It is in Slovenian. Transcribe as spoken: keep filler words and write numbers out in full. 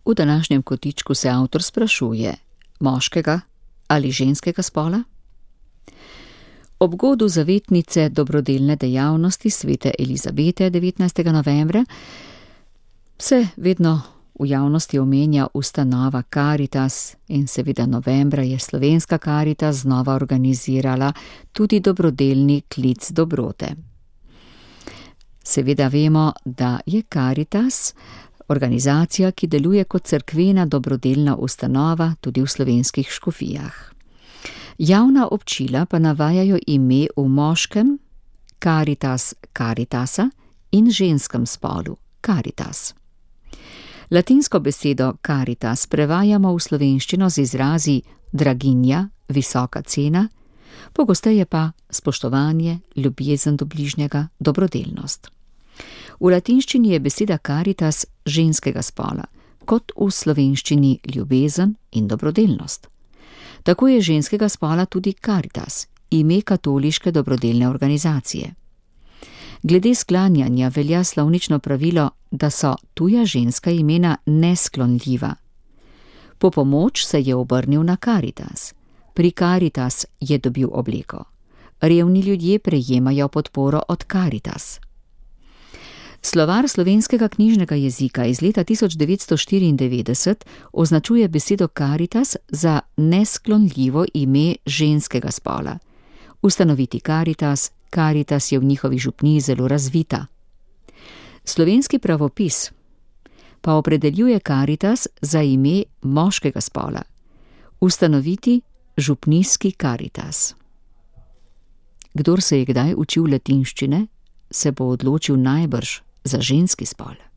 V današnjem kotičku se avtor sprašuje, moškega ali ženskega spola? Ob godu zavetnice dobrodelne dejavnosti svete Elizabete devetnajstega novembra se vedno v javnosti omenja ustanova Karitas in seveda novembra je slovenska Karitas znova organizirala tudi dobrodelni klic dobrote. Seveda vemo, da je Karitas organizacija, ki deluje kot cerkvena dobrodelna ustanova tudi v slovenskih škofijah. Javna občila pa navajajo ime v moškem Caritas Caritasa in ženskem spolu Caritas. Latinsko besedo caritas prevajamo v slovenščino z izrazi draginja, visoka cena, pogosteje pa spoštovanje, ljubezen do bližnjega, dobrodelnost. V latinščini je beseda caritas ženskega spola, kot v slovenščini ljubezen in dobrodelnost. Tako je ženskega spola tudi Caritas, ime katoliške dobrodelne organizacije. Glede sklanjanja velja slovnično pravilo, da so tuja ženska imena nesklonljiva. Po pomoč se je obrnil na Caritas. Pri Caritas je dobil obleko. Revni ljudje prejemajo podporo od Caritas. Slovar slovenskega knjižnega jezika iz leta tisoč devetsto štiriindevetdeset označuje besedo Caritas za nesklonljivo ime ženskega spola. Ustanoviti Caritas, Caritas je v njihovi župniji zelo razvita. Slovenski pravopis pa opredeljuje Caritas za ime moškega spola. Ustanoviti župnijski Caritas. Kdor se je kdaj učil latinščine, se bo odločil najbrž za ženski spol.